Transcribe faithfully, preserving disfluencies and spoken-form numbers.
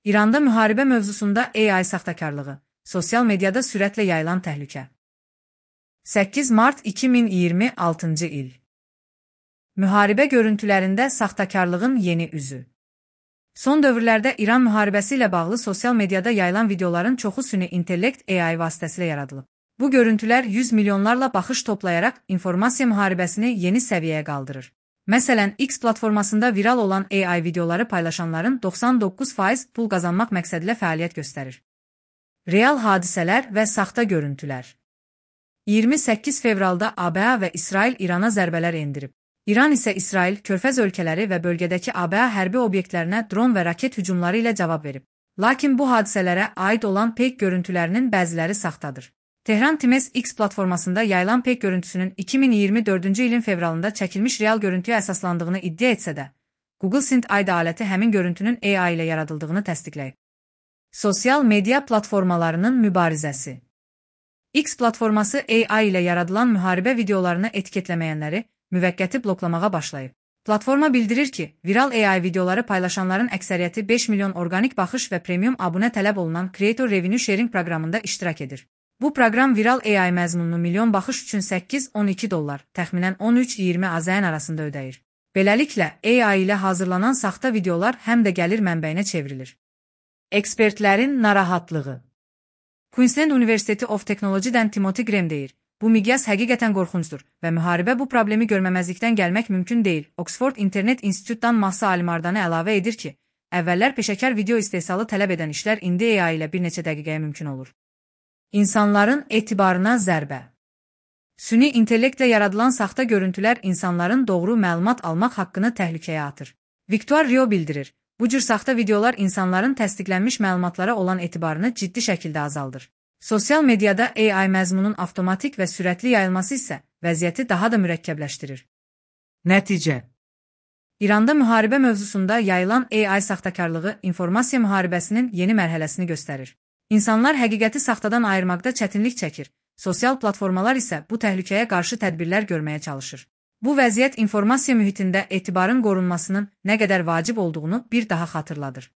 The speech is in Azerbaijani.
İranda müharibə mövzusunda A I saxtakarlığı, sosial mediada sürətlə yayılan təhlükə. səkkiz mart iki min iyirmi altıncı il. Müharibə görüntülərində saxtakarlığın yeni üzü. Son dövrlərdə İran müharibəsi ilə bağlı sosial mediada yayılan videoların çoxu süni intellekt A I vasitəsilə yaradılıb. Bu görüntülər yüz milyonlarla baxış toplayaraq informasiya müharibəsini yeni səviyyəyə qaldırır. Məsələn, X platformasında viral olan A I videoları paylaşanların doxsan doqquz faiz pul qazanmaq məqsədilə fəaliyyət göstərir. Real hadisələr və saxta görüntülər. iyirmi səkkiz fevralda A B A və İsrail İrana zərbələr endirib. İran isə İsrail, Körfəz ölkələri və bölgədəki A B A hərbi obyektlərinə dron və raket hücumları ilə cavab verib. Lakin bu hadisələrə aid olan peyk görüntülərinin bəziləri saxtadır. Tehran Times X platformasında yayılan peyk görüntüsünün iki min iyirmi dördüncü ilin fevralında çəkilmiş real görüntüyə əsaslandığını iddia etsə də, Google Synth aid aləti həmin görüntünün A I ilə yaradıldığını təsdiqləyib. Sosial media platformalarının mübarizəsi. X platforması A I ilə yaradılan müharibə videolarını etiketləməyənləri müvəqqəti bloklamağa başlayıb. Platforma bildirir ki, viral A I videoları paylaşanların əksəriyyəti beş milyon orqanik baxış və premium abunə tələb olunan Creator Revenue Sharing proqramında iştirak edir. Bu proqram viral A I məzmununu milyon baxış üçün səkkiz on iki dollar, təxminən on üç iyirmi AZN arasında ödəyir. Beləliklə, A I ilə hazırlanan saxta videolar həm də gəlir mənbəyinə çevrilir. Ekspertlərin narahatlığı. Queensland University of Technology-dən Timothy Graham deyir, bu miqyas həqiqətən qorxuncdur və müharibə bu problemi görməməzlikdən gəlmək mümkün deyil. Oxford İnternet İnstitutdan Mahsa Alimardanı əlavə edir ki, əvvəllər peşəkar video istehsalı tələb edən işlər indi A I ilə bir neçə dəqiqəyə mümkün olur. İnsanların etibarına zərbə. Süni intellektlə yaradılan saxta görüntülər insanların doğru məlumat almaq haqqını təhlükəyə atır. Victor Rio bildirir, bu cür saxta videolar insanların təsdiqlənmiş məlumatlara olan etibarını ciddi şəkildə azaldır. Sosial mediada A I məzmunun avtomatik və sürətli yayılması isə vəziyyəti daha da mürəkkəbləşdirir. Nəticə. İranda müharibə mövzusunda yayılan A I saxtakarlığı informasiya müharibəsinin yeni mərhələsini göstərir. İnsanlar həqiqəti saxtadan ayırmaqda çətinlik çəkir, sosial platformalar isə bu təhlükəyə qarşı tədbirlər görməyə çalışır. Bu vəziyyət informasiya mühitində etibarın qorunmasının nə qədər vacib olduğunu bir daha xatırladır.